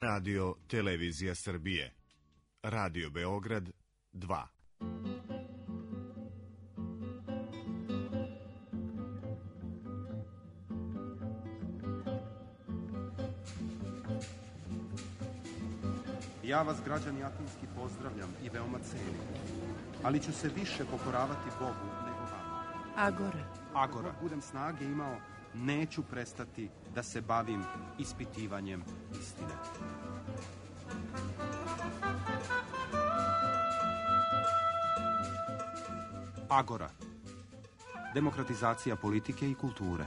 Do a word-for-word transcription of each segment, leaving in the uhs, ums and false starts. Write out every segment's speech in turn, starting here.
Radio Televizija Srbije. Radio Beograd dva. Ja vas, građani Atinski, pozdravljam i veoma cenim, ali ću se više pokoravati Bogu nego vama. Agora. Agora. Ako budem snage imao, neću prestati da se bavim ispitivanjem istine. Agora. Demokratizacija politike i kulture.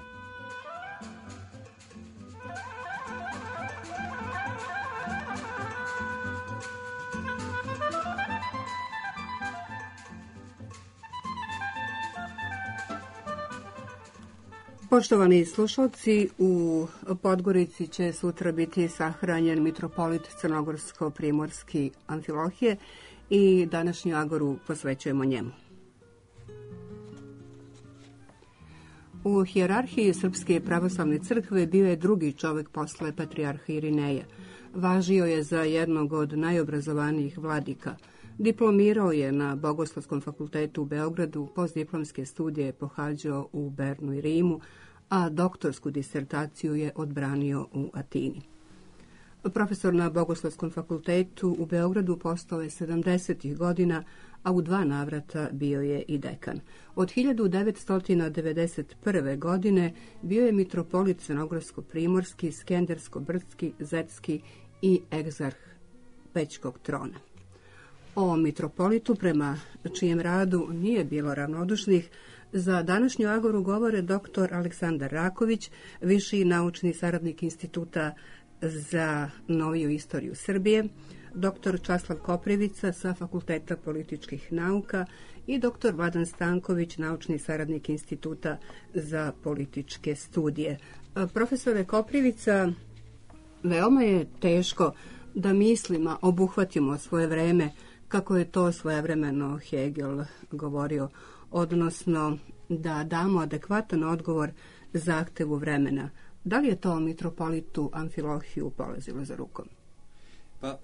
Poštovani slušalci, u Podgorici će sutra biti sahranjen mitropolit Crnogorsko-primorski Amfilohije i današnju agoru posvećujemo njemu. U hijerarhiji Srpske pravoslavne crkve bio je drugi čovjek posle patrijarha Irineja. Važio je za jednog od najobrazovanijih vladika. Diplomirao je na Bogoslovskom fakultetu u Beogradu, postdiplomske studije pohađao u Bernu i Rimu, a doktorsku disertaciju je odbranio u Atini. Profesor na Bogoslovskom fakultetu u Beogradu postao je sedamdesetih godina, a u dva navrata bio je i dekan. Od hiljadu devetsto devedeset prve. godine bio je mitropolit Crnogorsko-primorski, Skendersko-brdski, Zetski i egzarh Pećkog trona. O mitropolitu, prema čijem radu nije bilo ravnodušnih, za današnju agoru govore doktor Aleksandar Raković, viši naučni saradnik Instituta za noviju istoriju Srbije, doktor Časlav Koprivica sa Fakulteta političkih nauka i doktor Vladan Stanković, naučni saradnik Instituta za političke studije. Profesore Koprivica, veoma je teško da mislima obuhvatimo svoje vreme kako je to svojevremeno Hegel govorio, odnosno da damo adekvatan odgovor zahtevu vremena. Da li je to mitropolitu Amfilohiju polazilo za rukom? Pa,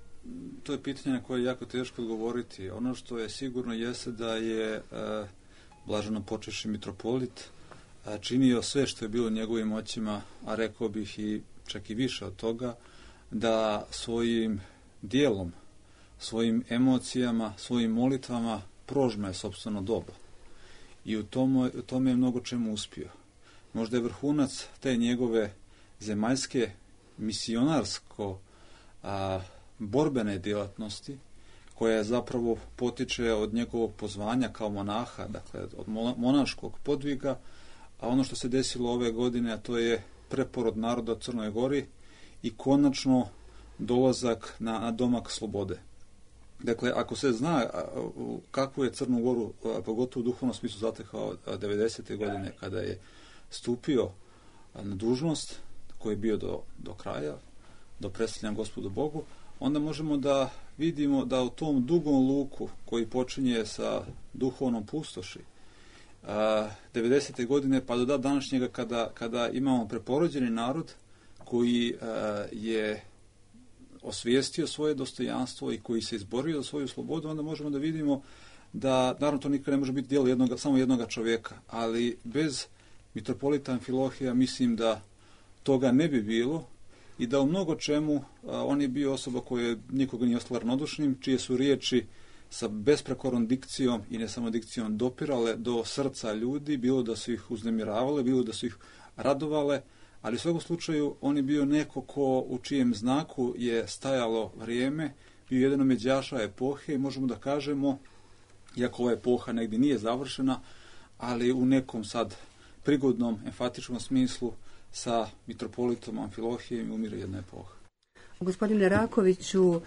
to je pitanje na koje je jako teško odgovoriti. Ono što je sigurno jeste da je e, blaženo počivši mitropolit e, činio sve što je bilo njegovim moćima, a rekao bih i čak i više od toga, da svojim dijelom, svojim emocijama, svojim molitvama prožme sopstveno doba. I u tome, u tome je mnogo čemu uspio. Možda je vrhunac te njegove zemaljske misionarsko a, borbene djelatnosti, koja zapravo potiče od njegovog pozvanja kao monaha, dakle od monaškog podviga, a ono što se desilo ove godine, a to je preporod naroda u Crnoj Gori i konačno dolazak na, na domak slobode. Dakle, ako se zna kakvu je Crnu Goru, pogotovo u duhovnom smislu, zatekao devedesete. godine, kada je stupio na dužnost, koji je bio do, do kraja, do predstavljanja Gospodu Bogu, onda možemo da vidimo da u tom dugom luku koji počinje sa duhovnom pustoši, devedesete. godine pa do današnjega, kada, kada imamo preporođeni narod koji je osvijestio svoje dostojanstvo i koji se izborio za svoju slobodu, onda možemo da vidimo da, naravno, to nikad ne može biti djelo jednoga, samo jednoga čovjeka, ali bez mitropolita Amfilohija mislim da toga ne bi bilo i da u mnogo čemu a, on je bio osoba koja nikoga nije ostala ravnodušnim, čije su riječi sa besprekornom dikcijom i ne samo dikcijom dopirale do srca ljudi, bilo da su ih uznemiravale, bilo da su ih radovale, ali u svakom slučaju on je bio neko ko, u čijem znaku je stajalo vrijeme, bio jedan od međaša epohe i možemo da kažemo, iako ova epoha negdje nije završena, ali u nekom sad prigodnom, enfatičnom smislu sa mitropolitom Amfilohijem umire jedna epoha. Gospodine Rakoviću,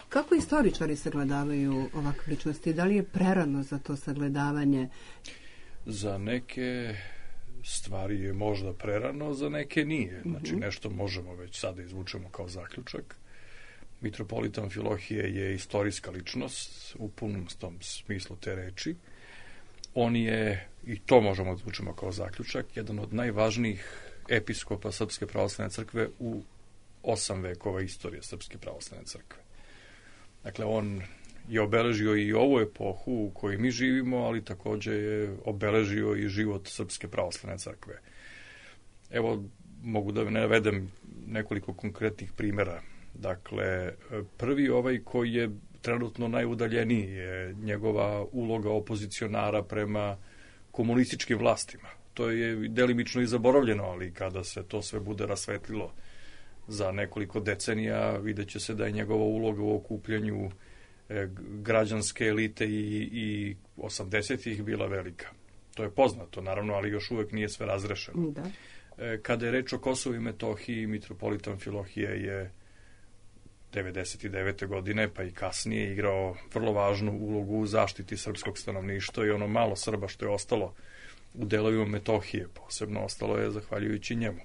kako istoričari sagledavaju ovakve ličnosti? Da li je prerano za to sagledavanje? Za neke stvari je možda prerano, za neke nije. Znači, mm-hmm. nešto možemo već sada izvučemo kao zaključak. Mitropolit Amfilohije je istorijska ličnost u punom tom smislu te reči. On je, i to možemo da izvučemo kao zaključak, jedan od najvažnijih episkopa Srpske pravoslavne crkve u osam vekova istorije Srpske pravoslavne crkve. Dakle, on je obeležio i ovu epohu u kojoj mi živimo, ali takođe je obeležio i život Srpske pravoslavne crkve. Evo, mogu da navedem nekoliko konkretnih primjera. Dakle, prvi ovaj koji je trenutno najudaljeniji je njegova uloga opozicionara prema komunističkim vlastima. To je delimično i zaboravljeno, ali kada se to sve bude rasvetlilo za nekoliko decenija, vidjet će se da je njegova uloga u okupljanju građanske elite i, i osamdesetih bila velika. To je poznato, naravno, ali još uvek nije sve razrešeno. Da. Kada je reč o Kosovu i Metohiji, mitropolit Amfilohije je devedeset devete godine, pa i kasnije, igrao vrlo važnu ulogu u zaštiti srpskog stanovništva i ono malo Srba što je ostalo u delovima Metohije, posebno ostalo je zahvaljujući njemu.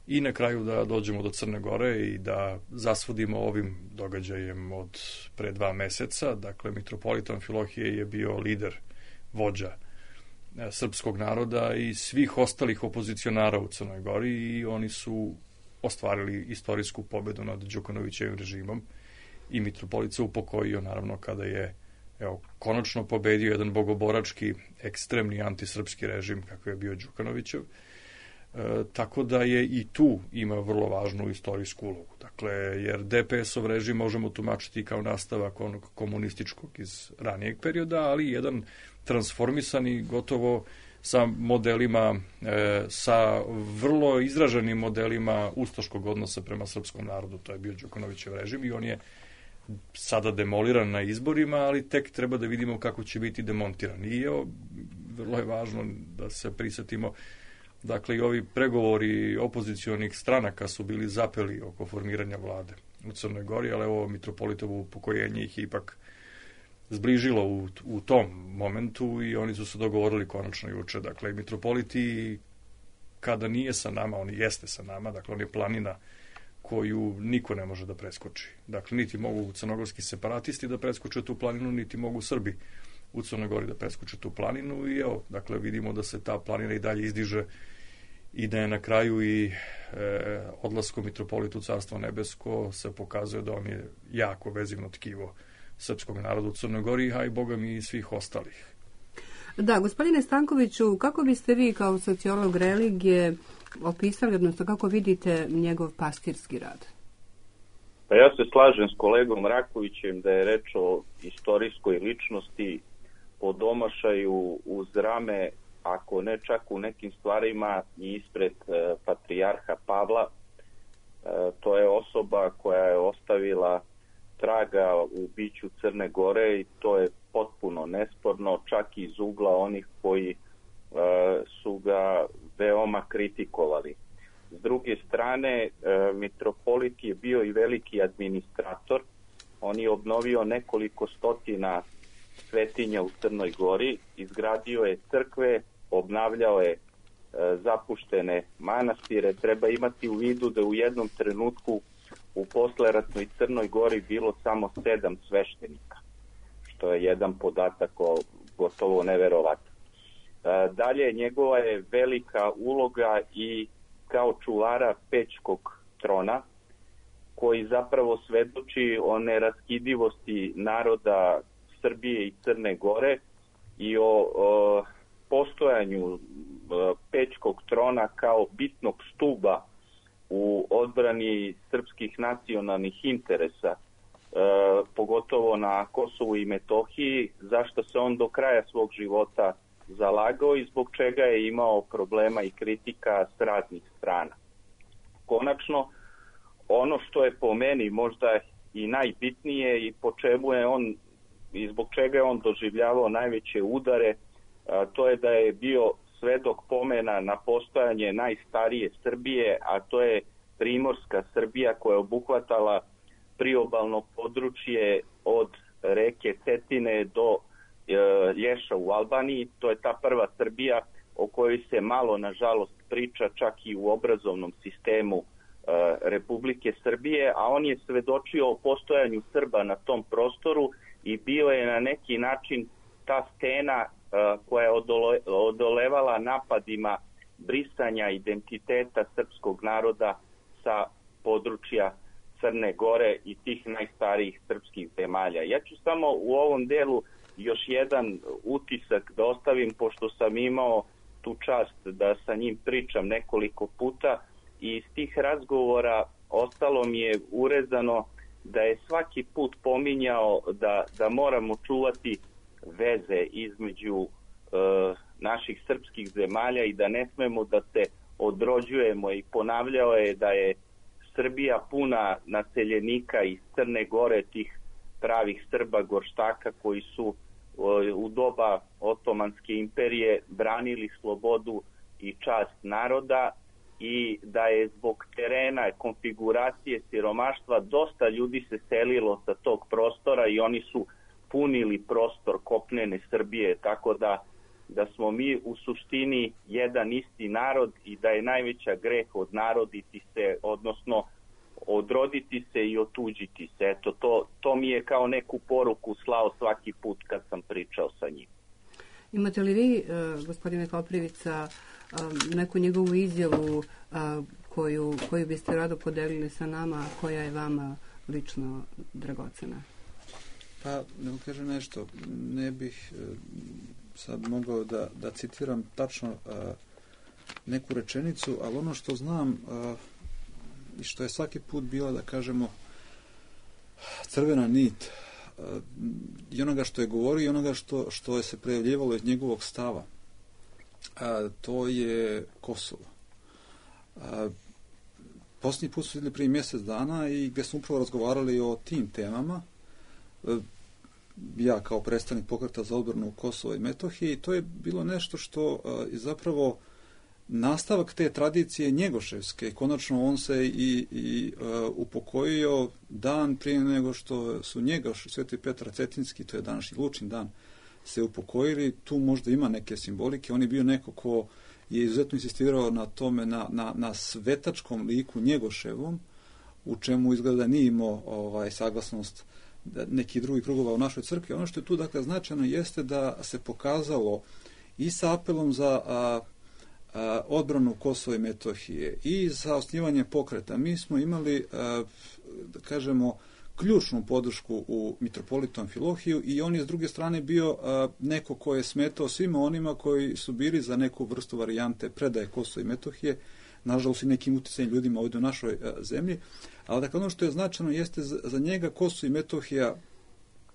I na kraju da dođemo do Crne Gore i da zasvodimo ovim događajem od pre dva meseca. Dakle, mitropolit Amfilohije je bio lider, vođa srpskog naroda i svih ostalih opozicionara u Crnoj Gori i oni su ostvarili istorijsku pobedu nad Đukanovićevim režimom i mitropolit se upokojio, naravno, kada je evo, konačno pobedio jedan bogoborački, ekstremni antisrpski režim kakav je bio Đukanovićev. E, tako da je i tu ima vrlo važnu istorijsku ulogu. Dakle, jer de pe es-ov režim možemo tumačiti kao nastavak onog komunističkog iz ranijeg perioda, ali jedan transformisani gotovo sa modelima, e, sa vrlo izraženim modelima ustaškog odnosa prema srpskom narodu. To je bio Đukanovićev režim i on je sada demoliran na izborima, ali tek treba da vidimo kako će biti demontiran. I evo, vrlo je važno da se prisetimo. Dakle, i ovi pregovori opozicionih stranaka su bili zapeli oko formiranja vlade u Crnoj Gori, ali evo, mitropolitovo upokojenje ih ipak zbližilo u, u tom momentu i oni su se dogovorili konačno juče. Dakle, mitropoliti, kada nije sa nama, on jeste sa nama, dakle, on je planina koju niko ne može da preskoči. Dakle, niti mogu crnogorski separatisti da preskoče tu planinu, niti mogu Srbi u Crnoj Gori da preskoče tu planinu i evo, dakle, vidimo da se ta planina i dalje izdiže i da je na kraju i e, odlaskom mitropolitu Carstvo nebesko se pokazuje da on je jako vezivno tkivo srpskog naroda u Crnoj Gori, a i Boga mi i svih ostalih. Da, gospodine Stankoviću, kako biste vi kao sociolog religije opisali, odnosno kako vidite njegov pastirski rad? Pa ja se slažem s kolegom Rakovićem da je reč o istorijskoj ličnosti po domašaju uz rame, ako ne čak u nekim stvarima i ispred e, patrijarha Pavla. E, to je osoba koja je ostavila traga u biću Crne Gore i to je potpuno nesporno, čak iz ugla onih koji e, su ga veoma kritikovali. S druge strane, e, mitropolit je bio i veliki administrator. On je obnovio nekoliko stotina svetinja u Crnoj Gori, izgradio je crkve, obnavljao je e, zapuštene manastire. Treba imati u vidu da u jednom trenutku u posleratnoj Crnoj Gori bilo samo sedam sveštenika, što je jedan podatak o, gotovo neverovatan. E, dalje, njegova je velika uloga i kao čuvara Pećkog trona, koji zapravo svedoči o neraskidivosti naroda Srbije i Crne Gore i o, o postojanju Pećkog trona kao bitnog stuba u odbrani srpskih nacionalnih interesa, e, pogotovo na Kosovu i Metohiji, zašto se on do kraja svog života zalagao i zbog čega je imao problema i kritika s raznih strana. Konačno, ono što je po meni možda i najbitnije i po čemu je on i zbog čega je on doživljavao najveće udare, a, to je da je bio svedok pomena na postojanje najstarije Srbije, a to je Primorska Srbija koja je obuhvatala priobalno područje od reke Cetine do e, Lješa u Albaniji. To je ta prva Srbija o kojoj se malo, nažalost, priča čak i u obrazovnom sistemu e, Republike Srbije, a on je svedočio o postojanju Srba na tom prostoru i bio je na neki način ta stena koja je odole, odolevala napadima brisanja identiteta srpskog naroda sa područja Crne Gore i tih najstarijih srpskih zemalja. Ja ću samo u ovom delu još jedan utisak da ostavim, pošto sam imao tu čast da sa njim pričam nekoliko puta i iz tih razgovora ostalo mi je urezano da je svaki put pominjao da, da moramo čuvati veze između e, naših srpskih zemalja i da ne smemo da se odrođujemo, i ponavljao je da je Srbija puna naseljenika iz Crne Gore, tih pravih Srba gorštaka koji su u doba Otomanske imperije branili slobodu i čast naroda, i da je zbog terena, konfiguracije, siromaštva dosta ljudi se selilo sa tog prostora i oni su punili prostor kopnene Srbije, tako da, da smo mi u suštini jedan isti narod i da je najveća greh odnaroditi se, odnosno odroditi se i otuđiti se. Eto, to, to mi je kao neku poruku slao svaki put kad sam pričao sa njim. Imate li vi, gospodine Koprivica, neku njegovu izjavu koju, koju biste rado podelili sa nama, koja je vama lično dragocena? Pa, ne kažem nešto, ne bih sad mogao da, da citiram tačno neku rečenicu, ali ono što znam i što je svaki put bila, da kažemo, crvena nit i onoga što je govorio i onoga što, što je se prejavljivalo iz njegovog stava, a, to je Kosovo. A, posljednji put su vidjeli prije mjesec dana i gdje smo upravo razgovarali o tim temama, a, ja kao predstavnik Pokreta za odbranu Kosova i Metohije, i to je bilo nešto što a, je zapravo nastavak te tradicije njegoševske. Konačno on se i, i uh, upokojio dan prije nego što su Njegoš, Sveti Petar Cetinski, to je današnji Lučin dan, se upokojili. Tu možda ima neke simbolike. On je bio neko ko je izuzetno insistirao na tome, na, na, na svetačkom liku Njegoševom, u čemu izgleda nije imao ovaj, saglasnost nekih drugih krugova u našoj crkvi. Ono što je tu dakle značajno jeste da se pokazalo i sa apelom za a, odbranu Kosova i Metohije i za osnivanje pokreta. Mi smo imali, da kažemo, ključnu podršku u mitropolitu Amfilohiju i on je s druge strane bio neko ko je smetao svima onima koji su bili za neku vrstu varijante predaje Kosova i Metohije, nažalost i nekim utjecajnim ljudima ovdje u našoj zemlji. Ali dakle, ono što je značajno jeste za njega Kosovo i Metohija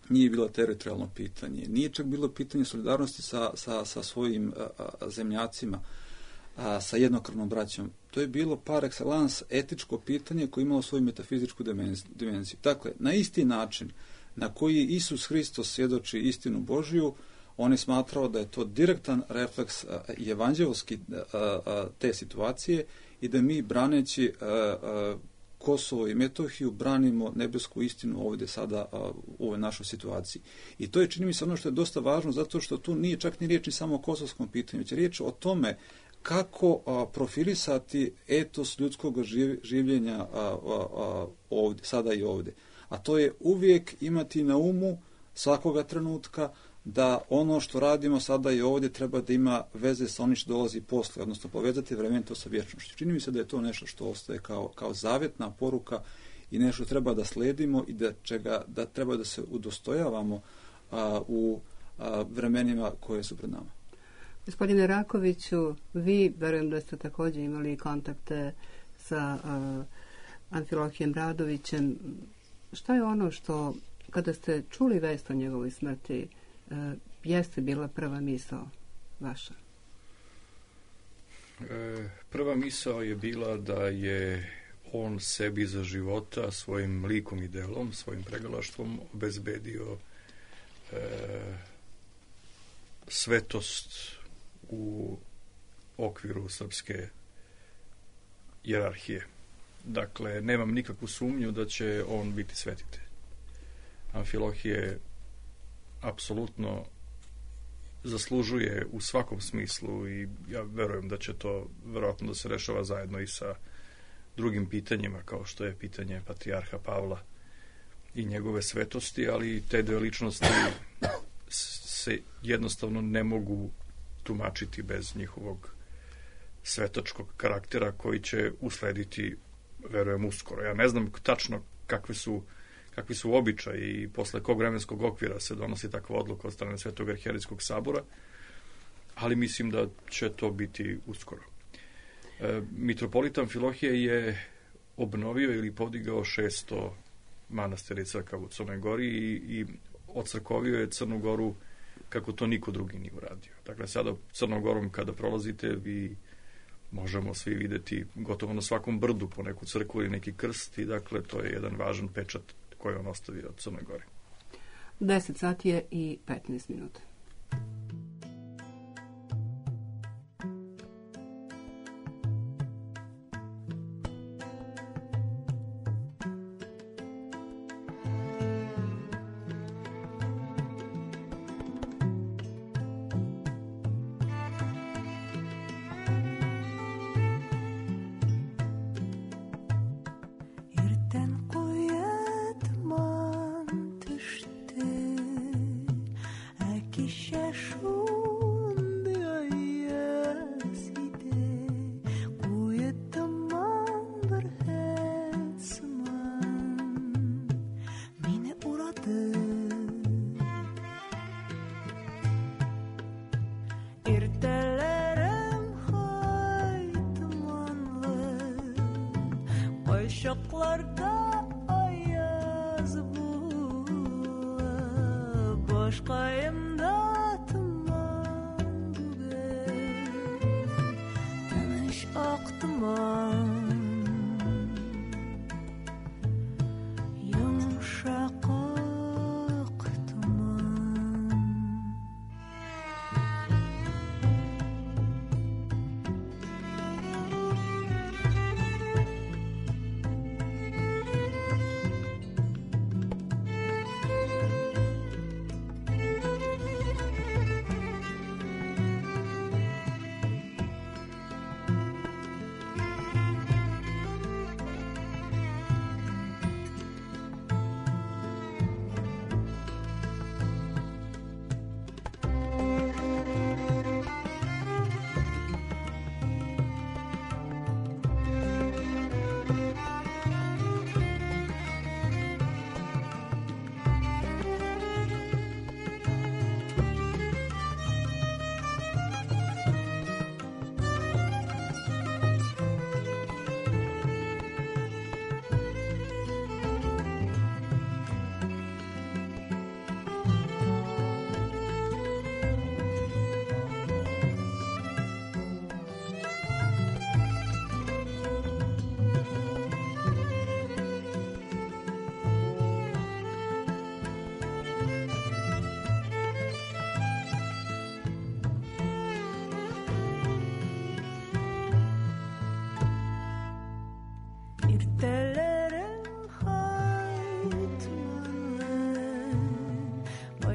nije bilo teritorijalno pitanje, nije čak bilo pitanje solidarnosti sa, sa, sa svojim zemljacima, a, sa jednokrvnom braćom. To je bilo par excellence etičko pitanje koje je imalo svoju metafizičku dimenziju. Dakle, na isti način na koji Isus Hristos svjedoči istinu Božiju, on je smatrao da je to direktan refleks a, evanđelski a, a, te situacije i da mi braneći a, a, Kosovo i Metohiju branimo nebesku istinu ovdje sada a, u ovoj našoj situaciji. I to je, čini mi se, ono što je dosta važno, zato što tu nije čak ni riječ ni samo o kosovskom pitanju, već je riječ o tome kako a, profilisati etos ljudskog živ, življenja a, a, a, ovdje, sada i ovdje. A to je uvijek imati na umu svakoga trenutka da ono što radimo sada i ovdje treba da ima veze sa onim što dolazi posle, odnosno povezati vremenito sa vječnošću. Čini mi se da je to nešto što ostaje kao, kao zavjetna poruka i nešto treba da sledimo i da, čega, da treba da se udostojavamo a, u a, vremenima koje su pred nama. Gospodine Rakoviću, vi, verujem da ste također imali kontakte sa uh, Amfilohijem Radovićem. Šta je ono što, kada ste čuli vest o njegovoj smrti, uh, jeste bila prva misao vaša? E, prva misao je bila da je on sebi za života svojim likom i delom, svojim pregalaštvom obezbedio e, svetost u okviru srpske hijerarhije. Dakle, nemam nikakvu sumnju da će on biti svetitelj. Amfilohije apsolutno zaslužuje u svakom smislu i ja verujem da će to verovatno da se rešava zajedno i sa drugim pitanjima, kao što je pitanje patrijarha Pavla i njegove svetosti, ali te dve ličnosti se jednostavno ne mogu tumačiti bez njihovog svetačkog karaktera koji će uslediti verujem uskoro. Ja ne znam tačno kakvi su, kakvi su običaji i posle kog vremenskog okvira se donosi takva odluka od strane Svetog arhijerijskog sabora, ali mislim da će to biti uskoro. E, mitropolita Amfilohije je obnovio ili podigao šesto manastira i crkava u Crnoj Gori i, i ocrkovio je Crnu Goru kako to niko drugi nije uradio. Dakle, sada Crnom Gorom kada prolazite, vi možemo svi videti gotovo na svakom brdu po neku crkvu ili neki krst i dakle, to je jedan važan pečat koji on ostavio od Crnoj Gori. deset sati je i petnaest minuta. Şoklarda ayaz bulup boşkayımda tuman bugün tanış ak tuman yumuşak ak tuman.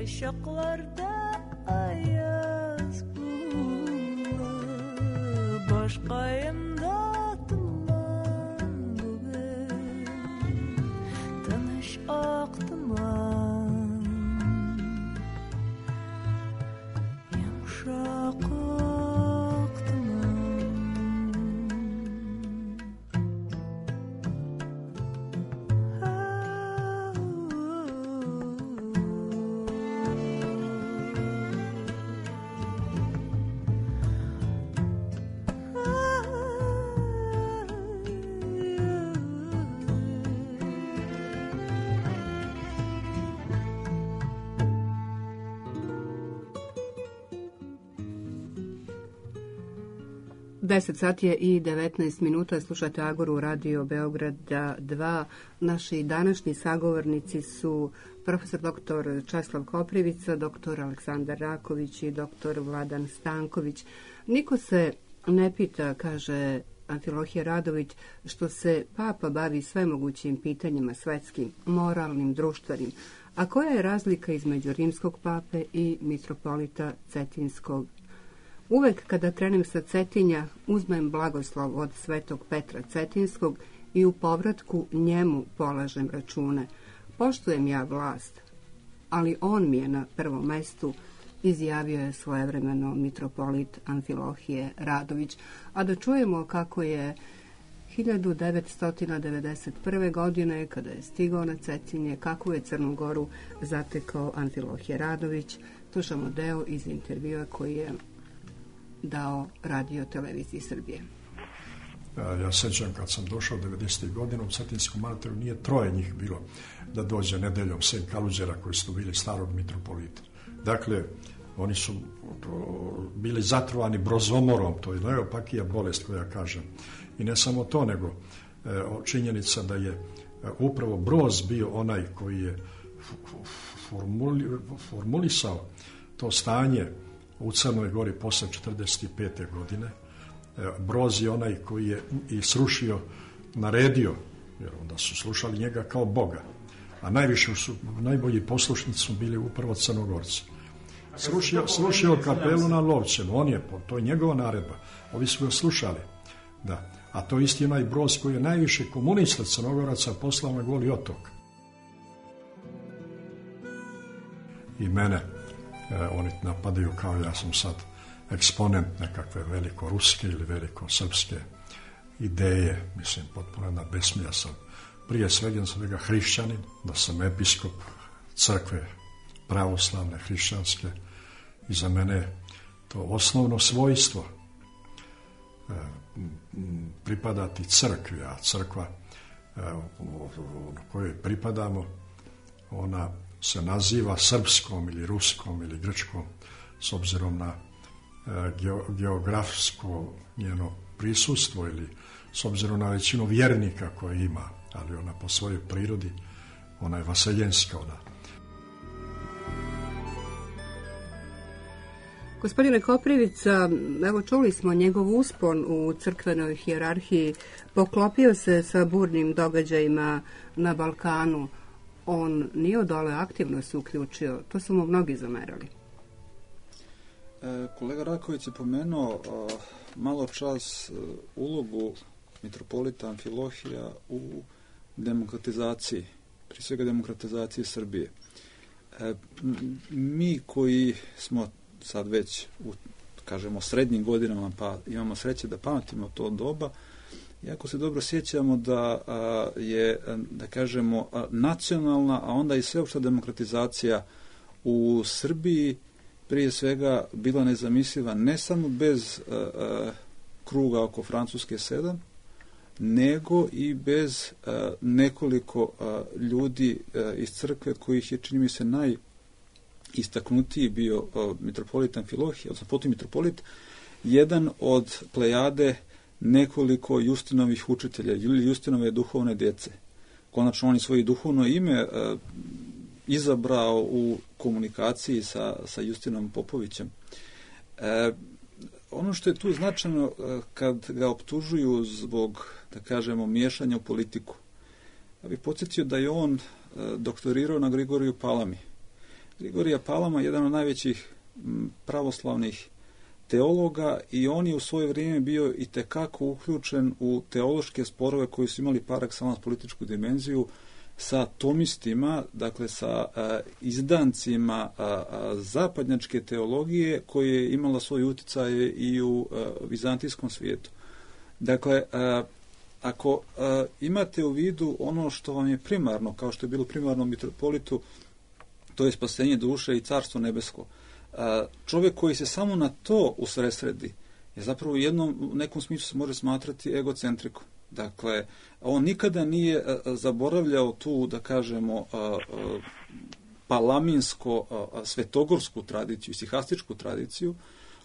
Şoklarda ayaz bulup boşkayımda tuman bugün tanış ak tuman yumuşak ak tuman. deset sati je i devetnaest minuta, slušate Agoru Radio Beograda dva. Naši današnji sagovornici su profesor doktor Česlav Koprivica, doktor Aleksandar Raković i doktor Vladan Stanković. Niko se ne pita, kaže Amfilohije Radović, što se papa bavi svemogućim pitanjima svetskim, moralnim, društvenim. A koja je razlika između rimskog pape i mitropolita Cetinskog? Uvek kada krenem sa Cetinja, uzmem blagoslov od svetog Petra Cetinskog i u povratku njemu polažem račune. Poštujem ja vlast, ali on mi je na prvom mestu, izjavio je svojevremeno mitropolit Amfilohije Radović. A da čujemo kako je hiljadu devetsto devedeset prve. godine, kada je stigao na Cetinje, kakvu je Crnu Goru zatekao Amfilohije Radović. Slušamo deo iz intervjua koji je dao Radio televiziji Srbije. Ja sećam kad sam došao devedesetih godina u Cetinskom manastiru, nije troje njih bilo da dođe nedeljom, sem Kaluđera koji su bili starog mitropolita. Dakle, oni su bili zatrovani brozomorom, to je najopakija bolest koja kažem. I ne samo to, nego e, činjenica da je e, upravo Broz bio onaj koji je formuli, formulisao to stanje u Crnoj Gori posle četrdeset pete. godine. E, Broz je onaj koji je i srušio, naredio, jer onda su slušali njega kao Boga. A najviše su, najbolji poslušnici su bili upravo Crnogorci. Srušio, srušio kapelu na Lovćenu, on je, to je njegova naredba, ovi su ga slušali, da. A to je isti onaj Broz koji je najviše komunista Crnogoraca poslao na Goli otok. I mene e, oni napadaju kao ja sam sad eksponent nekakve velikoruske ili velikosrpske ideje, mislim, potpuno na besmija sam. Prije svega sam svega hrišćanin, da sam episkop crkve pravoslavne, hrišćanske, i za mene to osnovno svojstvo e, pripadati crkvi, a crkva e, u kojoj pripadamo, ona se naziva srpskom ili ruskom ili grčkom s obzirom na e, geografsko njeno prisustvo ili s obzirom na većinu vjernika koje ima, ali ona po svojoj prirodi, ona je vaseljenska, ona. Gospodine Koprivica, evo čuli smo njegov uspon u crkvenoj hijerarhiji, poklopio se sa burnim događajima na Balkanu. On nije odole aktivno se uključio, to su mu mnogi zamerali. E, kolega Raković je pomenuo a, malo čas a, ulogu mitropolita Amfilohija u demokratizaciji, prije svega demokratizaciji Srbije. E, mi koji smo sad već u, kažemo, srednjim godinama, pa imamo sreće da pamtimo to doba, jako se dobro sjećamo da a, je, da kažemo, a, nacionalna, a onda i sveopšta demokratizacija u Srbiji prije svega bila nezamisliva ne samo bez a, a, kruga oko Francuske sedam, nego i bez a, nekoliko a, ljudi a, iz crkve kojih je, čini mi se, naj istaknutiji bio uh, mitropolit Amfilohije, odnosno potom mitropolit, jedan od plejade nekoliko Justinovih učitelja ili Justinove duhovne djece. Konačno on je svoje duhovno ime uh, izabrao u komunikaciji sa, sa Justinom Popovićem. E, ono što je tu značajno uh, kad ga optužuju zbog, da kažemo, miješanja u politiku. Ja bih podsjetio da je on uh, doktorirao na Grigoriju Palami. Grigorija Palama je jedan od najvećih pravoslavnih teologa i on je u svoje vrijeme bio i tekako uključen u teološke sporove koji su imali par excellence političku dimenziju sa tomistima, dakle sa a, izdancima a, a, zapadnjačke teologije koje je imala svoj utjecaj i u a, vizantijskom svijetu. Dakle, a, ako a, imate u vidu ono što vam je primarno, kao što je bilo primarno mitropolitu, to je spasenje duše i carstvo nebesko. Čovjek koji se samo na to usredsredi je zapravo u jednom, u nekom smislu se može smatrati egocentrikom. Dakle, on nikada nije zaboravljao tu, da kažemo, palaminsko svetogorsku tradiciju, sihastičku tradiciju,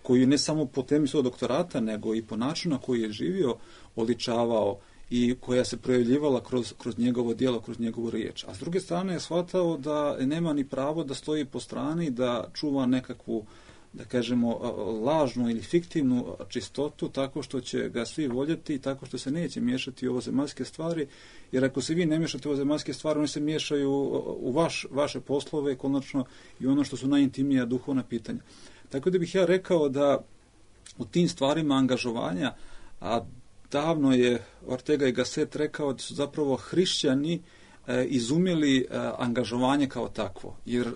koju ne samo po temi svog doktorata, nego i po načinu na koji je živio, oličavao i koja se projavljivala kroz, kroz njegovo djelo, kroz njegovu riječ. A s druge strane je shvatao da nema ni pravo da stoji po strani, da čuva nekakvu, da kažemo, lažnu ili fiktivnu čistotu, tako što će ga svi voljeti i tako što se neće miješati u ovozemaljske stvari, jer ako se vi ne miješate u ovozemaljske stvari, oni se miješaju u vaš, vaše poslove, konačno i ono što su najintimnija duhovna pitanja. Tako da bih ja rekao da u tim stvarima angažovanja, a davno je Ortega y Gasset rekao da su zapravo hrišćani e, izumjeli e, angažovanje kao takvo. Jer e,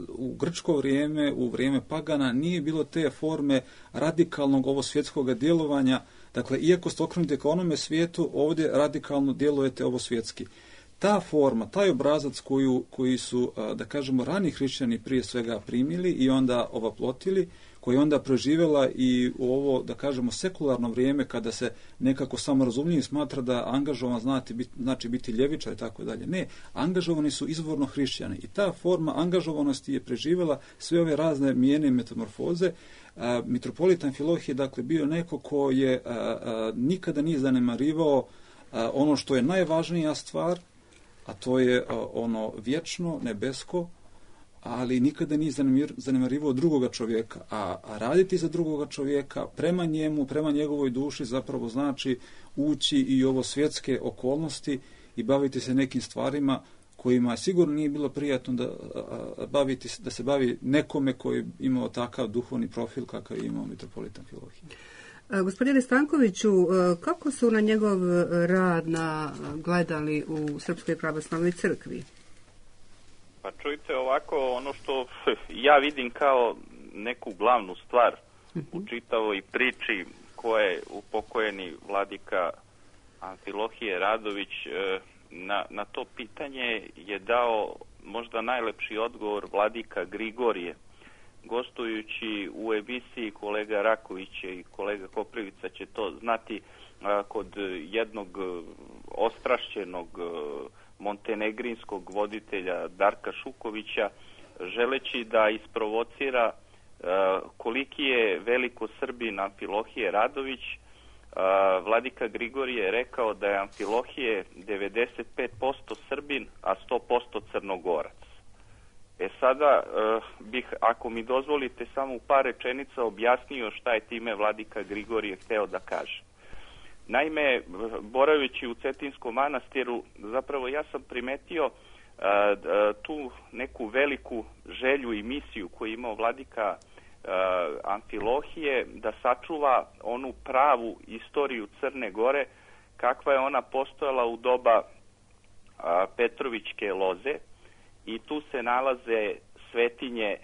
u grčko vrijeme, u vrijeme pagana, nije bilo te forme radikalnog ovo svjetskog djelovanja, Dakle, iako ste okrenuti ka onome svijetu, ovdje radikalno djelujete ovo svjetski. Ta forma, taj obrazac koju, koji su, da kažemo, rani hrišćani prije svega primili i onda ovaplotili, koja je onda preživjela i u ovo, da kažemo, sekularno vrijeme kada se nekako samorazumljivi smatra da angažovan znači biti, znači biti ljevičar i tako dalje. Ne, angažovani su izvorno hrišćani i ta forma angažovanosti je preživjela sve ove razne mijene i metamorfoze. A, mitropolita Amfilohije, dakle, bio neko ko je a, a, nikada nije zanemarivao a, ono što je najvažnija stvar, a to je a, ono vječno, nebesko, ali nikada nije zanemarivao drugoga čovjeka. A, a raditi za drugoga čovjeka prema njemu, prema njegovoj duši zapravo znači ući i ovo svjetske okolnosti i baviti se nekim stvarima kojima sigurno nije bilo prijatno da, a, baviti, da se bavi nekome koji je imao takav duhovni profil kakav je imao mitropolita Amfilohije. Gospodine Stankoviću, kako su na njegov rad na, gledali u Srpskoj pravoslavnoj crkvi? Pa čujte, ovako, ono što ja vidim kao neku glavnu stvar u čitavoj priči koje upokojeni vladika Amfilohije Radović na, na to pitanje je dao možda najlepši odgovor vladika Grigorije. Gostujući u emisiji kolega Raković i kolega Koprivica će to znati, kod jednog ostrašćenog montenegrinskog voditelja Darka Šukovića, želeći da isprovocira koliki je veliko Srbin Amfilohije Radović, vladika Grigorije je rekao da je Amfilohije devedeset pet posto Srbin, a sto posto Crnogorac. E sada bih, ako mi dozvolite, samo u par rečenica objasnio šta je time vladika Grigorije hteo da kaže. Naime, boraveći u Cetinskom manastiru, zapravo ja sam primetio a, a, tu neku veliku želju i misiju koju je imao vladika a, Amfilohije da sačuva onu pravu istoriju Crne Gore, kakva je ona postojala u doba a, Petrovićke loze, i tu se nalaze svetinje.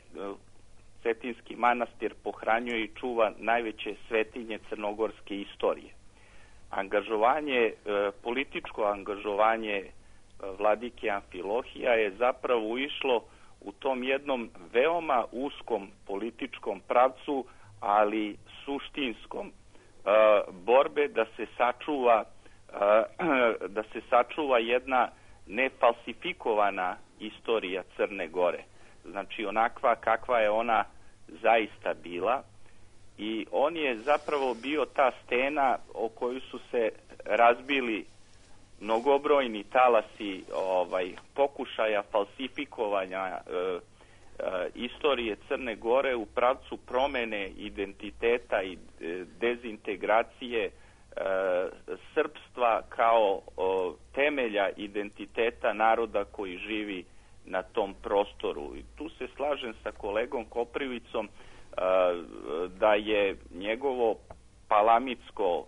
Cetinski manastir pohranjuje i čuva najveće svetinje crnogorske istorije. Angažovanje, političko angažovanje vladike Amfilohija je zapravo išlo u tom jednom veoma uskom političkom pravcu, ali suštinskom, borbe da se sačuva da se sačuva jedna nefalsifikovana istorija Crne Gore. Znači onakva kakva je ona zaista bila. I on je zapravo bio ta stena o koju su se razbili mnogobrojni talasi ovaj, pokušaja falsifikovanja e, e, istorije Crne Gore u pravcu promene identiteta i e, dezintegracije e, srpstva kao o, temelja identiteta naroda koji živi na tom prostoru. I tu se slažem sa kolegom Koprivicom da je njegovo palamitsko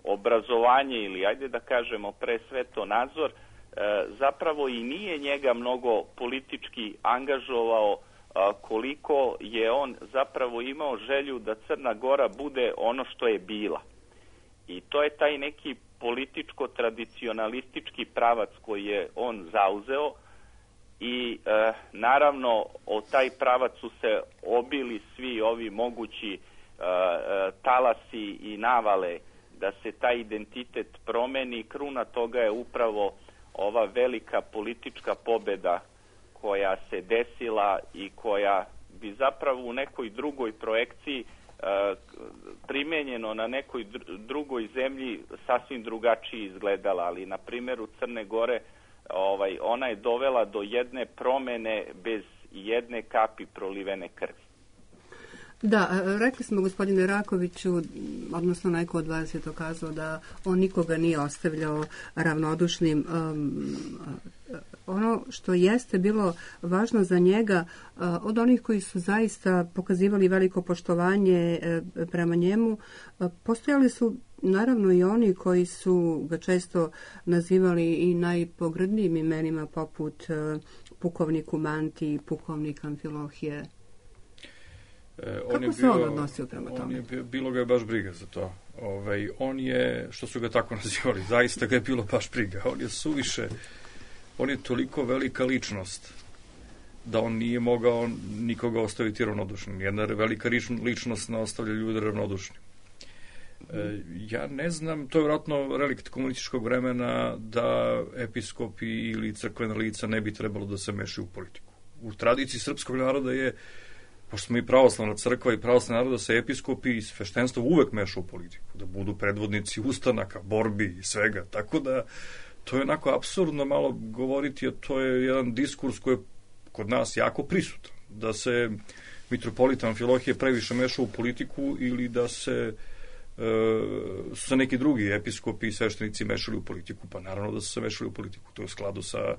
obrazovanje, ili ajde da kažemo pre svetonazor, zapravo i nije njega mnogo politički angažovao, koliko je on zapravo imao želju da Crna Gora bude ono što je bila. I to je taj neki političko-tradicionalistički pravac koji je on zauzeo. I e, naravno o taj pravac su se obili svi ovi mogući e, e, talasi i navale da se taj identitet promeni. Kruna toga je upravo ova velika politička pobjeda koja se desila i koja bi zapravo u nekoj drugoj projekciji e, primenjeno na nekoj drugoj zemlji sasvim drugačije izgledala, ali na primjeru Crne Gore Ovaj, ona je dovela do jedne promene bez jedne kapi prolivene krvi. Da, rekli smo, gospodine Rakoviću, odnosno neko od vas je to kazao da on nikoga nije ostavljao ravnodušnim. Um, ono što jeste bilo važno za njega, uh, od onih koji su zaista pokazivali veliko poštovanje uh, prema njemu, uh, postojali su naravno i oni koji su ga često nazivali i najpogrdnijim imenima, poput uh, pukovnik Umanti, pukovnik Amfilohije. E, Kako on je se bio, on odnosio prema on tome? Je bio, bilo ga je baš briga za to. Ovaj, on je, što su ga tako nazivali, zaista ga je bilo baš briga. On je suviše, on je toliko velika ličnost da on nije mogao nikoga ostaviti ravnodušnim. Jedna velika ličnost ne ostavlja ljude ravnodušnim. E, ja ne znam, to je vjerojatno relikt komunističkog vremena da episkopi ili crkvena lica ne bi trebalo da se mešaju u politiku. U tradiciji srpskog naroda je, pošto smo i pravoslavna crkva i pravoslavna naroda, se episkopi i sveštenstvo uvek meša u politiku, da budu predvodnici ustanaka, borbi i svega, tako da to je onako apsurdno malo govoriti, a to je jedan diskurs koji je kod nas jako prisutan, da se mitropolita Amfilohije previše meša u politiku ili da se e, su se neki drugi episkopi i sveštenici mešali u politiku, pa naravno da su se mešali u politiku, to je u skladu sa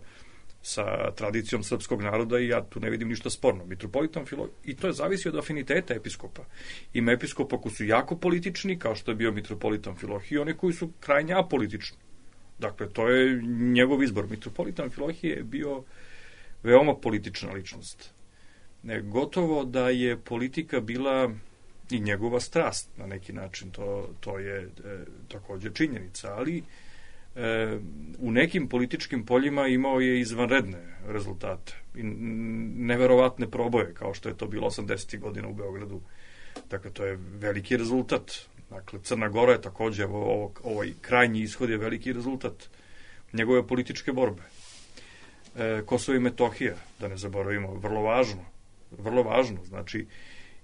sa tradicijom srpskog naroda i ja tu ne vidim ništa sporno. Mitropolita Amfilohije, i to je zavisi od afiniteta episkopa. Ima episkopa koji su jako politični, kao što je bio mitropolita Amfilohije, i oni koji su krajnje apolitični. Dakle, to je njegov izbor. Mitropolita Amfilohije je bio veoma politična ličnost. Ne, gotovo da je politika bila i njegova strast na neki način, to, to je e, također činjenica, ali e, u nekim političkim poljima imao je izvanredne rezultate i neverovatne proboje, kao što je to bilo osamdesetih godina u Beogradu. Dakle, to je veliki rezultat. Dakle, Crna Gora je također, ovo, ovaj krajnji ishod je veliki rezultat njegove političke borbe. E, Kosovo i Metohija, da ne zaboravimo, vrlo važno, vrlo važno, znači,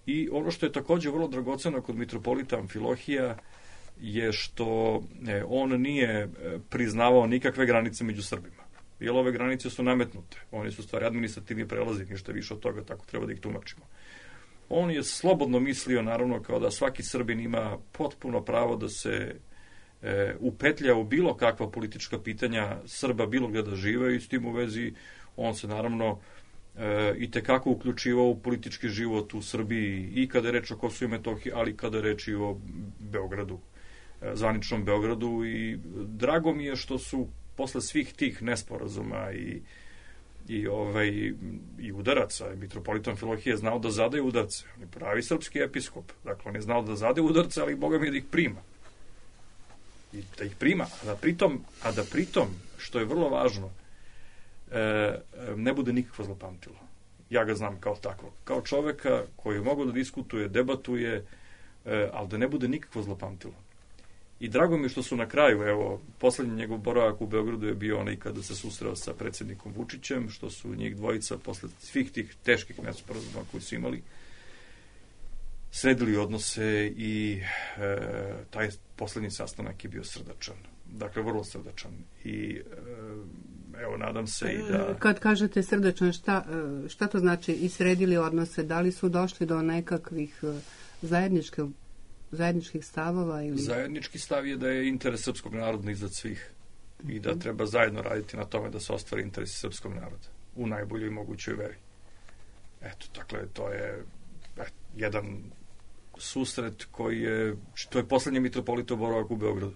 i ono što je također vrlo dragoceno kod mitropolita Amfilohija je što e, on nije priznavao nikakve granice među Srbima, jer ove granice su nametnute, oni su stvari administrativni prelazi, ništa više od toga, tako treba da ih tumačimo. On je slobodno mislio, naravno, kao da svaki Srbin ima potpuno pravo da se e, upetlja u bilo kakva politička pitanja Srba bilo gdje da žive, i s tim u vezi on se naravno e, i tekako uključivao u politički život u Srbiji, i kada je reč o Kosovu i Metohiji, ali kada je reč i o Beogradu, e, zvaničnom Beogradu, i drago mi je što su posle svih tih nesporazuma i i ovaj i udaraca, mitropolita Amfilohije je znao da zadaje udarce. On je pravi srpski episkop. Dakle, on je znao da zadaje udarce, ali Boga mi da ih prima. I da ih prima, a da pritom, a da pritom, što je vrlo važno, e, ne bude nikakvo zlopamtilo. Ja ga znam kao takvog. Kao čoveka koji je mogao da diskutuje, debatuje, e, ali da ne bude nikakvo zlopamtilo. I drago mi je što su na kraju, evo, poslednji njegov boravak u Beogradu je bio onaj kada se susreo sa predsjednikom Vučićem, što su njih dvojica posle svih tih teških nesporazuma koji su imali sredili odnose, i e, taj poslednji sastanak je bio srdačan. Dakle, vrlo srdačan. I e, evo, nadam se i da... Kad kažete srdačan, šta, šta to znači i sredili odnose? Da li su došli do nekakvih zajedničkih zajedničkih stavova? Ili... Zajednički stav je da je interes srpskog naroda iznad svih i da treba zajedno raditi na tome da se ostvari interes srpskog naroda u najboljoj mogućoj veri. Eto, dakle, to je et, jedan susret koji je, to je poslednji mitropolitov boravak u Beogradu,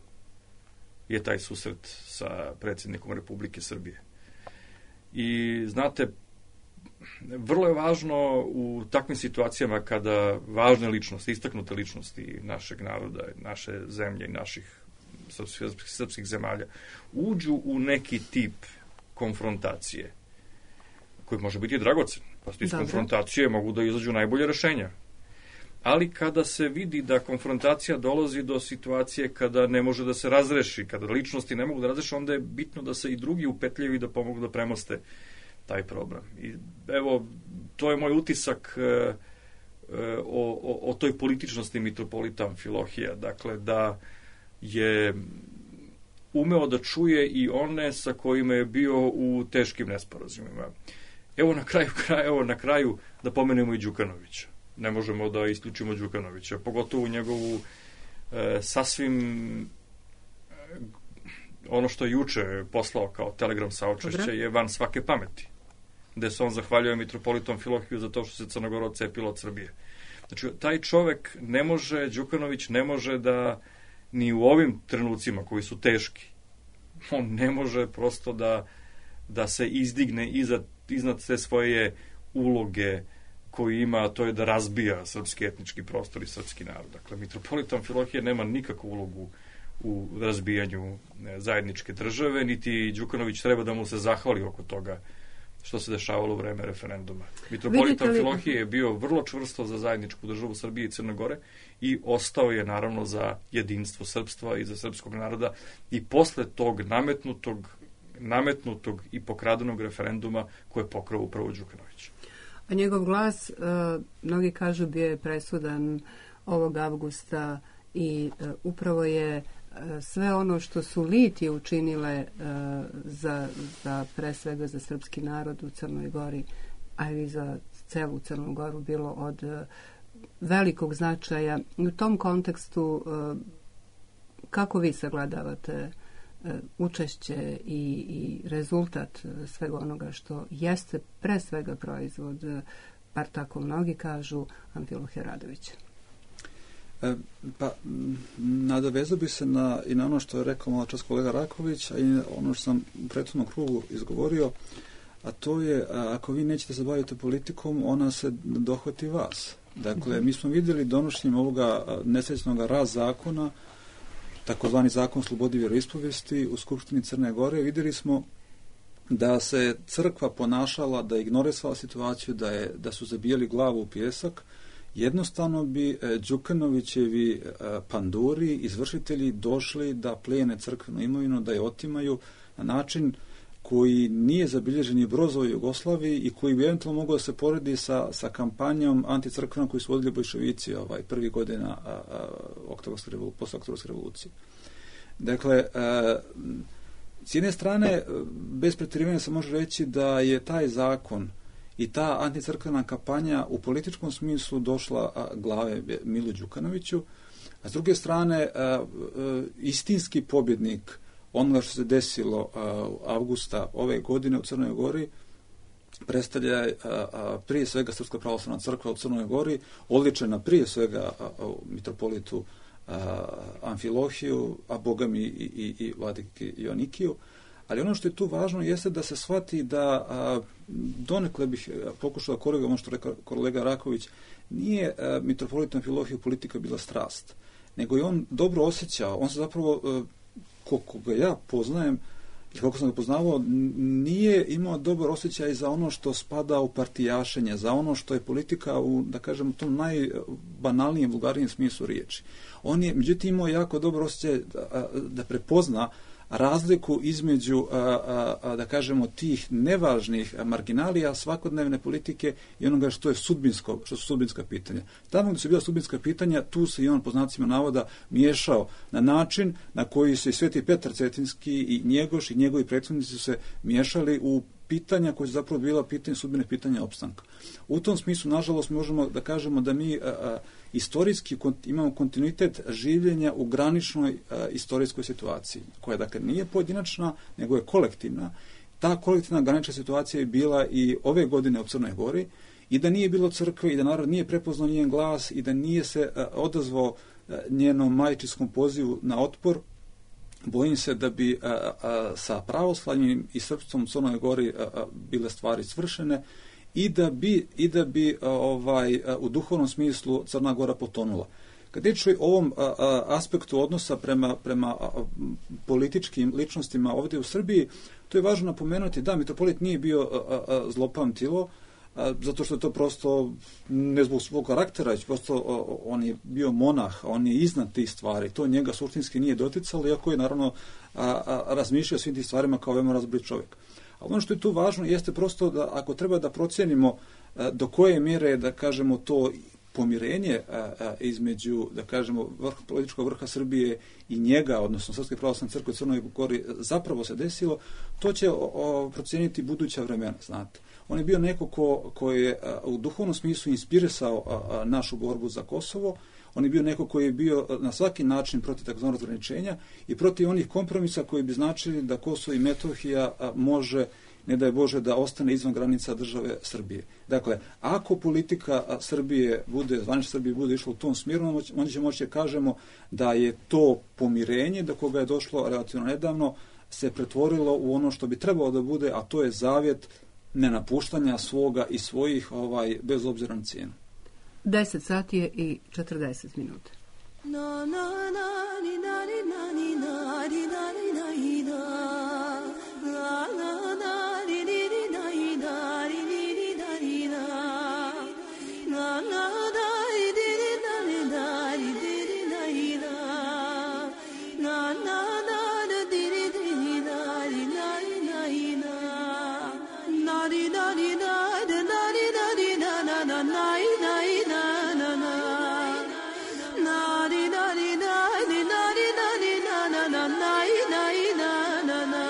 je taj susret sa predsjednikom Republike Srbije. I znate, vrlo je važno u takvim situacijama kada važne ličnosti, istaknute ličnosti našeg naroda, naše zemlje i naših srpskih, srpskih zemalja uđu u neki tip konfrontacije koji može biti dragocen. Pa iz konfrontacije mogu da izađu najbolje rešenja. Ali kada se vidi da konfrontacija dolazi do situacije kada ne može da se razreši, kada ličnosti ne mogu da razreši, onda je bitno da se i drugi upetljaju i da pomogu da premoste taj problem. I evo, to je moj utisak e, e, o, o, o toj političnosti mitropolita Amfilohija. Dakle, da je umeo da čuje i one sa kojima je bio u teškim nesporazumima. Evo na kraju, evo na kraju da pomenemo i Đukanovića. Ne možemo da isključimo Đukanovića, pogotovo njegovu e, sasvim e, ono što je juče poslao kao telegram saučešće je van svake pameti, gde se on zahvaljuje mitropolitu Amfilohiju za to što se Crna Gora odcepila od Srbije. Znači, taj čovek ne može, Đukanović ne može da ni u ovim trenucima koji su teški, on ne može prosto da, da se izdigne iza, iznad sve svoje uloge koji ima, a to je da razbija srpski etnički prostor i srpski narod. Dakle, mitropolit Amfilohije nema nikakvu ulogu u razbijanju zajedničke države, niti Đukanović treba da mu se zahvali oko toga što se dešavalo u vreme referenduma. Mitropolit Amfilohije je bio vrlo čvrsto za zajedničku državu Srbije i Crne Gore i ostao je naravno za jedinstvo srpstva i za srpskog naroda i posle tog nametnutog, nametnutog i pokradenog referenduma koje je pokrao upravo Đukanović. A njegov glas, uh, mnogi kažu, bio je presudan ovog avgusta i uh, upravo je uh, sve ono što su litije učinile uh, za, za pre svega za srpski narod u Crnoj Gori, a i za celu Crnu Goru bilo od uh, velikog značaja. U tom kontekstu uh, kako vi sagledavate učešće i, i rezultat svega onoga što jeste pre svega proizvod, bar tako mnogi kažu, Amfilohija Radovića? E, pa, nadovezao bi se na, i na ono što je rekao malo čas kolega Raković, a i ono što sam u prethodnom krugu izgovorio, a to je, a, ako vi nećete se baviti politikom, ona se dohvati vas. Dakle, mi smo vidjeli donošenjem ovoga nesrećnog raz zakona, takozvani zakon o slobodi vjeroispovijesti u Skupštini Crne Gore, vidjeli smo da se crkva ponašala, da je ignorisala situaciju, da, je, da su zabijali glavu u pijesak. Jednostavno bi Đukanovićevi panduri, izvršitelji, došli da plijene crkvenu imovinu, da je otimaju na način koji nije zabilježen i brozo u Jugoslaviji i koji bi eventualno mogao da se poredi sa, sa kampanjom anticrkvenom koju su vodili bolševici ovaj, prvi godina a, a, oktobarske revolucije, posle oktobarske revolucije. Dakle, a, s jedne strane, bez pretjerivanja se može reći da je taj zakon i ta anticrkvena kampanja u političkom smislu došla a, glave Milu Đukanoviću, a s druge strane, a, a, istinski pobjednik onoga što se desilo uh, avgusta ove godine u Crnoj Gori predstavlja uh, uh, prije svega Srpska pravoslavna crkva u Crnoj Gori, odličena prije svega uh, mitropolitu uh, Amfilohiju, a bogami i, i, i vladiki Joanikiju. Ali ono što je tu važno jeste da se shvati da uh, donekle bih pokušao da korigujem ono što rekao kolega Raković, nije uh, mitropolit Amfilohiju politika bila strast, nego je on dobro osjećao, on se zapravo uh, koliko ga ja poznajem i koliko sam ga poznavao, nije imao dobar osjećaj za ono što spada u partijašenje, za ono što je politika u, da kažem, u tom najbanalnijem, vulgarnijem smislu riječi. On je, međutim, imao jako dobar osjećaj da, da prepozna razliku između, a, a, a, da kažemo, tih nevažnih marginalija svakodnevne politike i onoga što je sudbinsko, što su sudbinska pitanja. Tamo gdje su bila sudbinska pitanja, tu se i on, po znacima navoda, miješao na način na koji se i Sveti Petar Cetinski i Njegoš i njegovi prethodnici su se miješali u pitanja koje su zapravo bila pitanja, sudbine pitanja opstanka. U tom smislu, nažalost, možemo da kažemo da mi a, a, istorijski kont, imamo kontinuitet življenja u graničnoj a, istorijskoj situaciji, koja dakle nije pojedinačna, nego je kolektivna. Ta kolektivna granična situacija je bila i ove godine u Crnoj Gori, i da nije bilo crkve i da narod nije prepoznao njen glas i da nije se a, odazvao a, njenom majčinskom pozivu na otpor, bojim se da bi a, a, sa pravoslavnim i srpstvom u Crnoj Gori a, a, bile stvari svršene i da bi, i da bi a, ovaj, a, u duhovnom smislu Crna Gora potonula. Kad je o ovom a, a, aspektu odnosa prema, prema a, političkim ličnostima ovdje u Srbiji, to je važno napomenuti da mitropolit nije bio a, a, zlopamtilo, a, zato što je to prosto ne zbog svog karaktera, već prosto a, on je bio monah, on je iznad tih stvari, to njega suštinski nije doticalo, iako je naravno a, a, razmišljao svim tih stvarima kao veoma razborit čovjek. A ono što je tu važno jeste prosto da ako treba da procijenimo a, do koje mjere, da kažemo, to pomirenje a, a, između, da kažemo, vrh, političkog vrha Srbije i njega, odnosno Srpske pravoslavne crkve u Crnoj Gori, zapravo se desilo, to će o, o, procijeniti buduća vremena, znate. On je bio neko ko, ko je a, u duhovnom smislu inspirisao a, a, našu borbu za Kosovo, on je bio neko koji je bio na svaki način protiv takozvanog razgraničenja i protiv onih kompromisa koji bi značili da Kosovo i Metohija a, može, ne daj Bože, da ostane izvan granica države Srbije. Dakle, ako politika Srbije bude, zvanična Srbije bude išla u tom smjeru, onda ćemo moći da kažemo da je to pomirenje do koga je došlo relativno nedavno se pretvorilo u ono što bi trebalo da bude, a to je zavjet nenapuštanja svoga i svojih, ovaj, bez obzira na cijenu. deset sati je i četrdeset minuta. Na na na ni na ni na ni na ni na ni na ni na na na na ni ni ni na ni na ni ni ni na ni na na na na ni ni ni na ni na ni ni ni na ni na na na na ni ni ni na ni na ni na ni na na ni na ni na na ni na ni na na na na na na na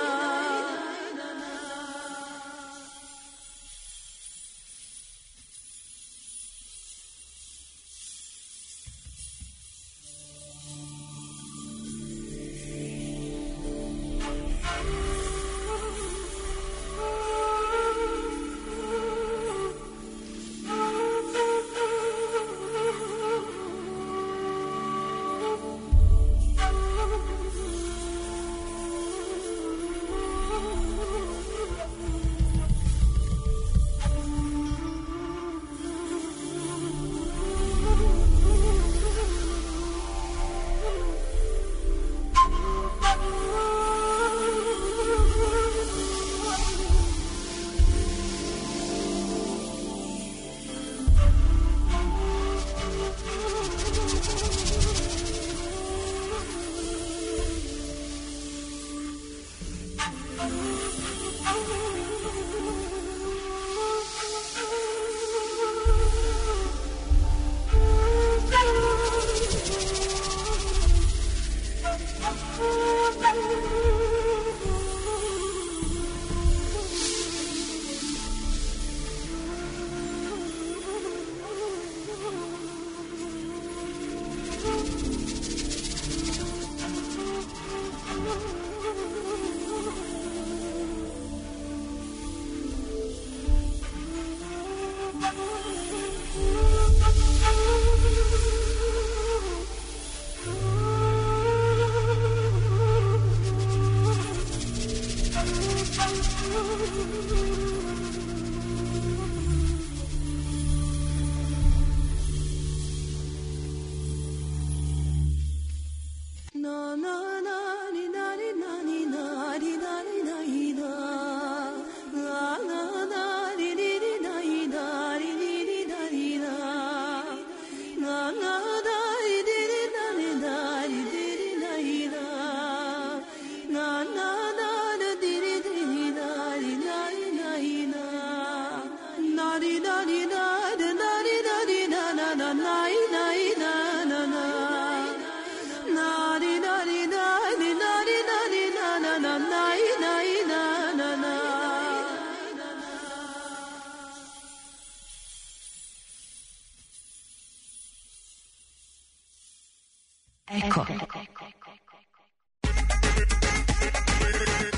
Eko.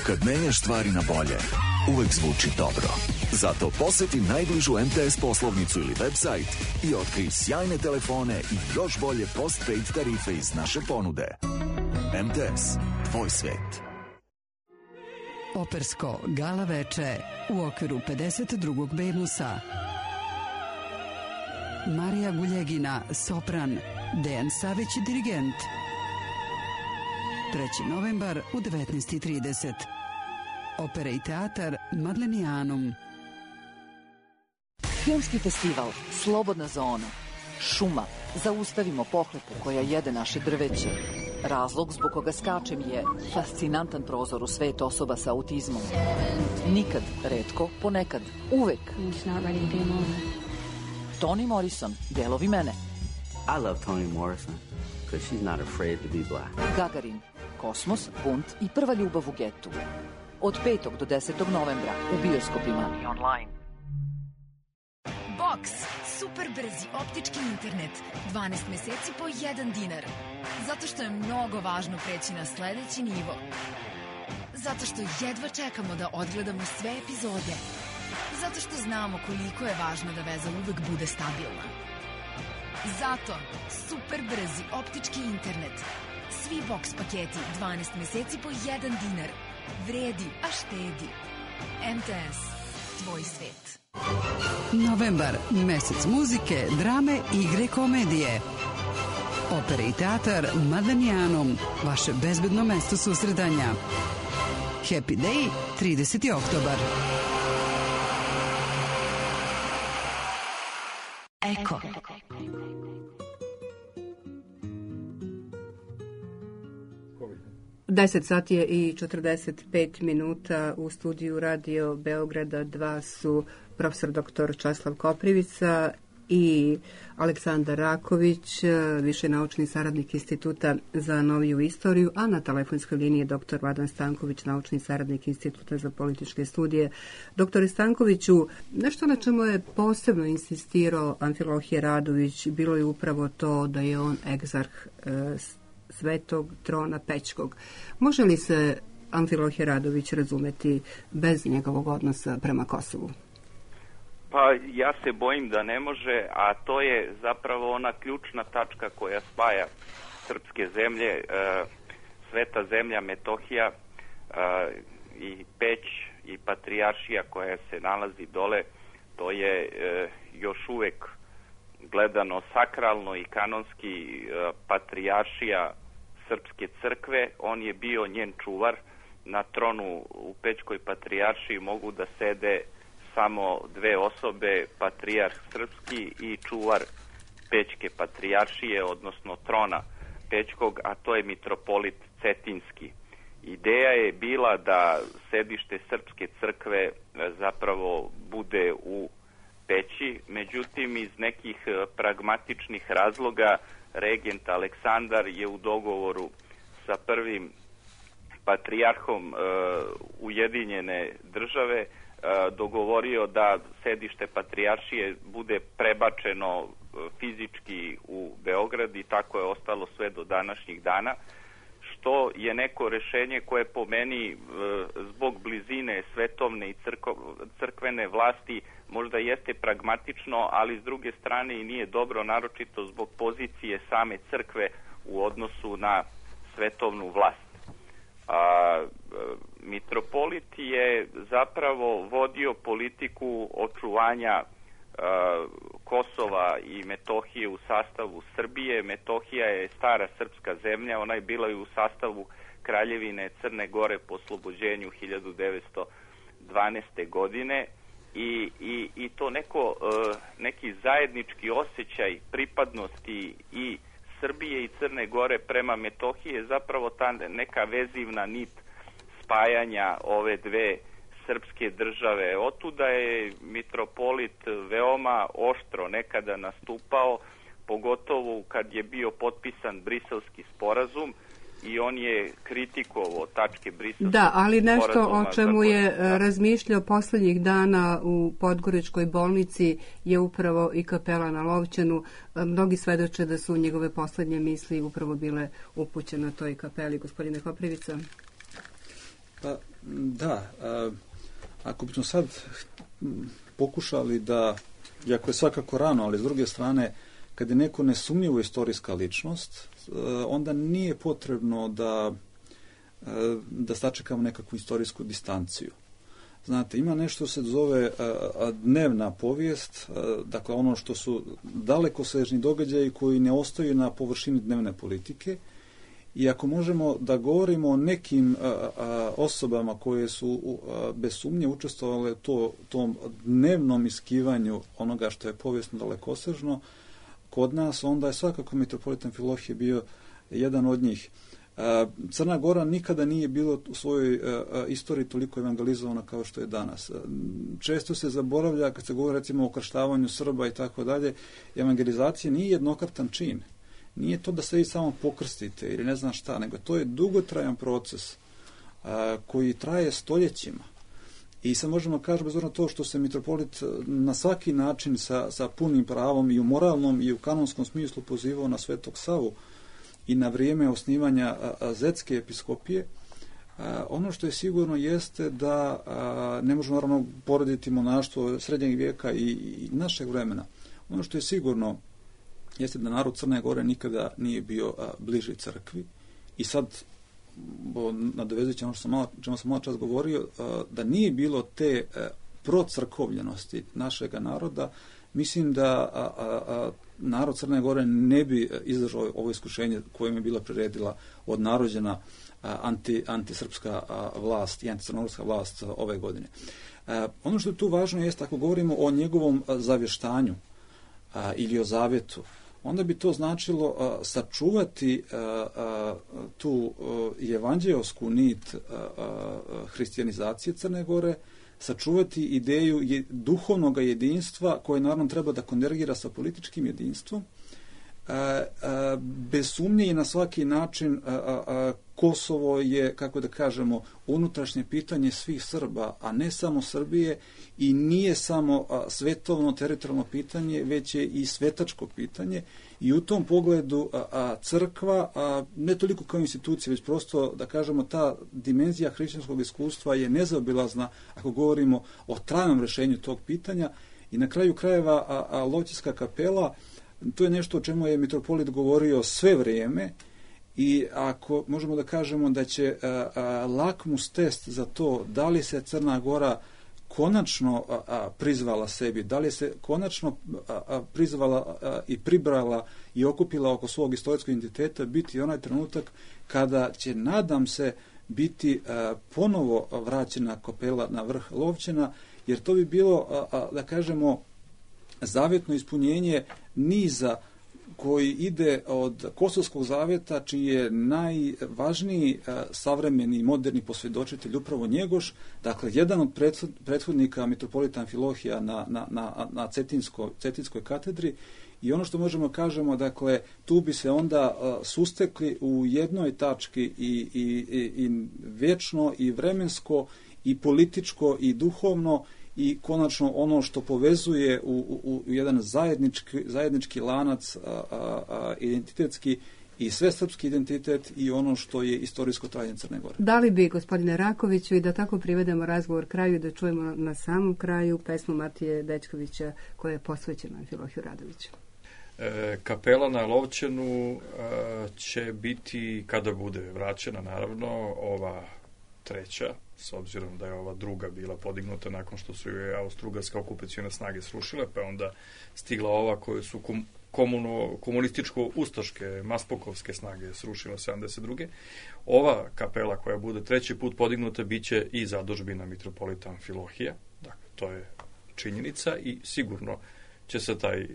Kad menjaš stvari na bolje, uvek zvuči dobro. Zato poseti najbližu M T S poslovnicu ili website i otkrij sjajne telefone i još bolje postpaid tarife iz naše ponude. M T S, tvoj svet. Opersko gala veče u okviru pedeset drugog Bemusa. Marija Guljegina, sopran, Dejan Savić, dirigent. treći novembar u devetnaest i trideset. Opera i teatar Madlenijanum. Filmski festival Slobodna zona. Šuma. Zaustavimo pohlepu koja jede naše drveće. Razlog zbog koga skačem je fascinantan prozor u svet osoba sa autizmom. Nikad, retko, ponekad, uvek. Toni Morrison, delovi mene. I love Toni Morrison because she's not afraid to be black. Gagarin, Kosmos, bunt i prva ljubav u getu. Od petog do desetog novembra u bioskopima i online. Box, super brzi optički internet, dvanaest meseci po jedan dinar. Zato što je mnogo važno preći na sledeći nivo. Zato što jedva čekamo da odgledamo sve epizode. Zato što znamo koliko je važno da veza uvek bude stabilna. Zato super brzi optički internet. Svi box paketi dvanaest meseci po jedan dinar. Vredi, a štedi. M T S. tvoj svet. Novembar, mesec muzike, drame, igre, komedije. Opera i teatar Madanijanum, vaše bezbedno mesto susretanja. Happy Day, trideseti oktobar. Eko. deset sati je i četrdeset pet minuta. U studiju Radio Beograda dva su profesor doktor Časlav Koprivica i Aleksandar Raković, viši naučni saradnik Instituta za noviju istoriju, a na telefonskoj liniji je doktor Vladan Stanković, naučni saradnik Instituta za političke studije. Doktore Stankoviću, nešto na čemu je posebno insistirao Amfilohije Radović bilo je upravo to da je on egzarh e, Svetog trona Pećkog. Može li se Amfilohije Radović razumeti bez njegovog odnosa prema Kosovu? Pa ja se bojim da ne može, a to je zapravo ona ključna tačka koja spaja srpske zemlje, e, sveta zemlja Metohija e, i Peć i Patrijaršija koja se nalazi dole. To je e, još uvek gledano sakralno i kanonski e, Patrijaršija Srpske crkve. On je bio njen čuvar. Na tronu u Pećkoj Patrijaršiji mogu da sede samo dve osobe, patrijarh srpski i čuvar Pećke Patrijaršije, odnosno trona Pećkog, a to je mitropolit Cetinski. Ideja je bila da sedište Srpske crkve zapravo bude u Peći, međutim iz nekih pragmatičnih razloga regent Aleksandar je u dogovoru sa prvim patrijarhom e, Ujedinjene države dogovorio da sedište Patrijaršije bude prebačeno fizički u Beograd i tako je ostalo sve do današnjih dana, što je neko rešenje koje po meni zbog blizine svetovne i crko, crkvene vlasti možda jeste pragmatično, ali s druge strane i nije dobro, naročito zbog pozicije same crkve u odnosu na svetovnu vlast. A, mitropolit je zapravo vodio politiku očuvanja a, Kosova i Metohije u sastavu Srbije. Metohija je stara srpska zemlja, ona je bila i u sastavu Kraljevine Crne Gore po oslobođenju hiljadu devetsto dvanaeste. godine i, i, i to neko, a, neki zajednički osjećaj pripadnosti i Srbije i Crne Gore prema Metohiji je zapravo ta neka vezivna nit spajanja ove dve srpske države. Otuda je mitropolit veoma oštro nekada nastupao, pogotovo kad je bio potpisan Briselski sporazum i on je kritikovao tačke Briselskog sporazuma. Da, ali nešto o čemu je da. razmišljao poslednjih dana u Podgoričkoj bolnici je upravo i kapela na Lovćenu. Mnogi svedoče da su njegove poslednje misli upravo bile upućene toj kapeli. Gospodine Koprivica? Pa, da, a, ako bismo sad pokušali da, iako je svakako rano, ali s druge strane, kad je neko nesumnjivo istorijska ličnost, onda nije potrebno da, da sačekamo nekakvu istorijsku distanciju. Znate, ima nešto se zove dnevna povijest, dakle ono što su dalekosežni događaji koji ne ostaju na površini dnevne politike. I ako možemo da govorimo o nekim a, a, osobama koje su a, bez sumnje učestvovale to, tom dnevnom iskivanju onoga što je povijesno dalekosežno kod nas, onda je svakako mitropolit Amfilohije bio jedan od njih. A, Crna Gora nikada nije bila u svojoj a, a, istoriji toliko evangelizovana kao što je danas. A, često se zaboravlja, kad se govori recimo o krštavanju Srba i tako dalje, evangelizacija nije jednokratan čin. Nije to da se vi samo pokrstite ili ne znam šta, nego to je dugotrajan proces a, koji traje stoljećima. I sad možemo kažemo, bez obzira na to što se mitropolit na svaki način sa, sa punim pravom i u moralnom i u kanonskom smislu pozivao na Svetog Savu i na vrijeme osnivanja a, a, Zetske episkopije, a, ono što je sigurno jeste da a, ne možemo naravno porediti monaštvo srednjeg vijeka i, i našeg vremena. Ono što je sigurno jeste da narod Crne Gore nikada nije bio a, bliži crkvi i sad nadovezujući ono što sam malo, čemu sam malo čas govorio, a, da nije bilo te a, procrkovljenosti našega naroda, mislim da a, a, a, narod Crne Gore ne bi izdržao ovo iskušenje kojim je bila priredila od narođena anti, antisrpska vlast i anticrnogorska vlast ove godine. A, ono što je tu važno jest, ako govorimo o njegovom zavještanju a, ili o zavjetu, onda bi to značilo a, sačuvati a, a, tu a, evanđeosku nit a, a, hrišćanizacije Crne Gore, sačuvati ideju je, duhovnog jedinstva koje naravno treba da konvergira sa političkim jedinstvom. A, a, bez sumnje i na svaki način a, a, a, Kosovo je, kako da kažemo, unutrašnje pitanje svih Srba, a ne samo Srbije, i nije samo a, svetovno teritorijalno pitanje, već je i svetačko pitanje, i u tom pogledu a, a, crkva, a, ne toliko kao institucija, već prosto, da kažemo, ta dimenzija hrišćanskog iskustva je nezaobilazna ako govorimo o trajnom rješenju tog pitanja. I na kraju krajeva a, a, Lovćinska kapela, to je nešto o čemu je mitropolit govorio sve vrijeme, i ako možemo da kažemo da će a, a, lakmus test za to da li se Crna Gora konačno a, a, prizvala sebi, da li se konačno a, a, prizvala a, i pribrala i okupila oko svog istorijskog identiteta, biti onaj trenutak kada će, nadam se, biti a, ponovo vraćena kapela na vrh Lovćena, jer to bi bilo, a, a, da kažemo, zavjetno ispunjenje niza koji ide od Kosovskog zavjeta, čiji je najvažniji a, savremeni moderni posvjedočitelj upravo Njegoš, dakle jedan od prethodnika mitropolita Amfilohija na, na, na, na Cetinsko, Cetinskoj katedri. I ono što možemo kažemo, dakle, tu bi se onda a, sustekli u jednoj tački i, i, i, i vječno i vremensko i političko i duhovno, i konačno ono što povezuje u, u, u jedan zajednički, zajednički lanac a, a, a, identitetski i svesrpski identitet i ono što je istorijsko trajanje Crne Gore. Da li bi, gospodine Rakoviću, i da tako privedemo razgovor kraju, da čujemo na samom kraju pesmu Matije Dečkovića koja je posvećena Amfilohiju Radoviću? E, kapela na Lovćenu e, će biti, kada bude vraćena, naravno, ova treća, s obzirom da je ova druga bila podignuta nakon što su je austrougarske okupacione snage srušile, pa je onda stigla ova koje su kom, komuno, komunističko-ustaške, maspokovske snage srušile sedamdeset druge. Ova kapela koja bude treći put podignuta biće i zadužbina mitropolita Amfilohija. Dakle, to je činjenica i sigurno će se taj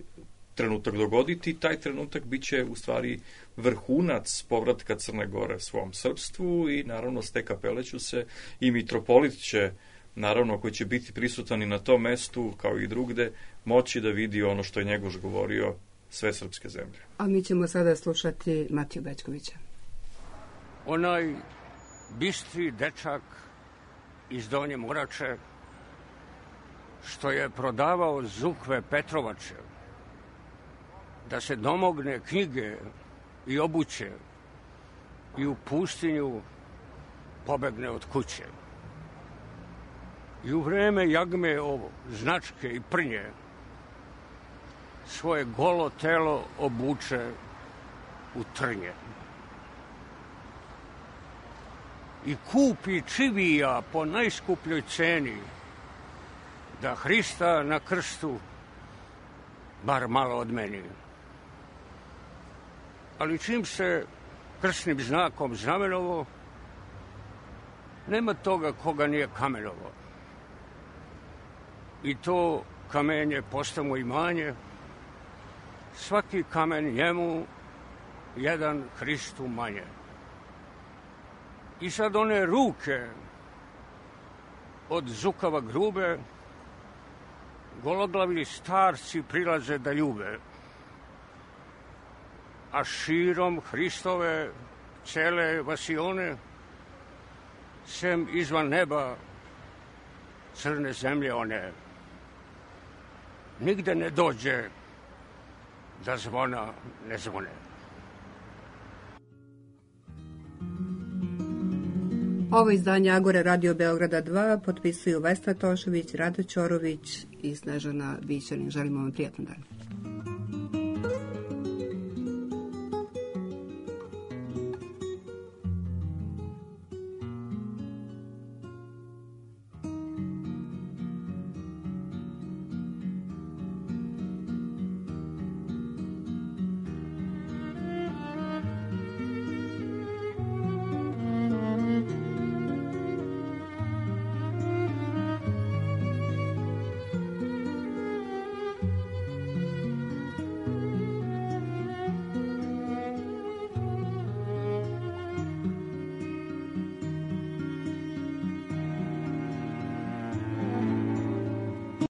trenutak dogoditi. Taj trenutak biće u stvari vrhunac povratka Crne Gore svom srpstvu i naravno s te kapele ću se i mitropolit će, naravno, koji će biti prisutan i na tom mestu kao i drugde, moći da vidi ono što je Njegoš govorio, sve srpske zemlje. A mi ćemo sada slušati Matiju Bećkovića. Onaj bistri dečak iz Donje Morače što je prodavao zukve Petrovače da se domogne knjige i obuće i u pustinju pobegne od kuće. I u vreme jagme ovo, značke i prnje, svoje golo telo obuče u trnje. I kupi čivija po najskupljoj ceni, da Hrista na krstu bar malo odmeni. Ali čim se krsnim znakom znamenovo, nema toga koga nije kamenovo. I to kamenje postamo imanje, svaki kamen njemu, jedan Hristu manje. I sad one ruke od zukava grube, gologlavi starci prilaze da ljube, a širom Hristove cele vasione, sem izvan neba crne zemlje one, nigde ne dođe da zvona ne zvone. Ovo izdanje Agore Radio Beograda dva potpisuju Vesna Tošović, Rado Ćorović i Snežana Bićanin. Želimo vam prijatno dan.